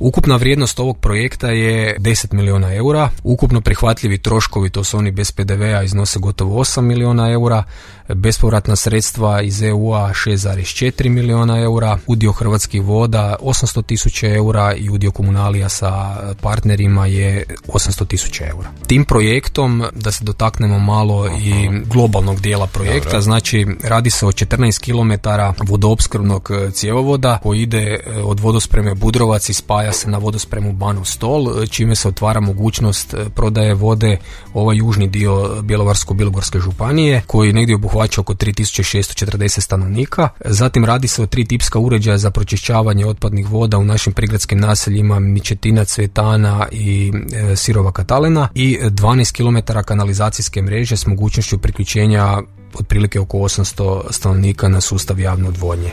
Ukupna vrijednost ovog projekta je 10 milijuna eura, ukupno prihvatljivi troškovi, to su oni bez PDV-a, iznose gotovo 8 milijuna eura, bespovratna sredstva iz EU-a 6,4 milijuna eura, udio Hrvatskih voda 800.000 eura i udio komunalija sa partnerima je 800.000 eura. Tim projektom, da se dotaknemo malo i globalnog dijela projekta, znači radi se o 14 km vodoopskrbnog cjevovoda koji ide od vodospreme Budrovac i spaja se na vodospremu Banov Stol, čime se otvara mogućnost prodaje vode ovaj južni dio Bjelovarsko-bilogorske županije koji negdje obuhvaća oko 3640 stanovnika. Zatim radi se o 3 tipska uređaja za pročišćavanje otpadnih voda u našim prigradskim naseljima Mičetina, Cvetana i Sirova Katalena i 12 km kanalizacijske mreže s mogućnošću priključenja otprilike oko 800 stanovnika na sustav javne odvodnje.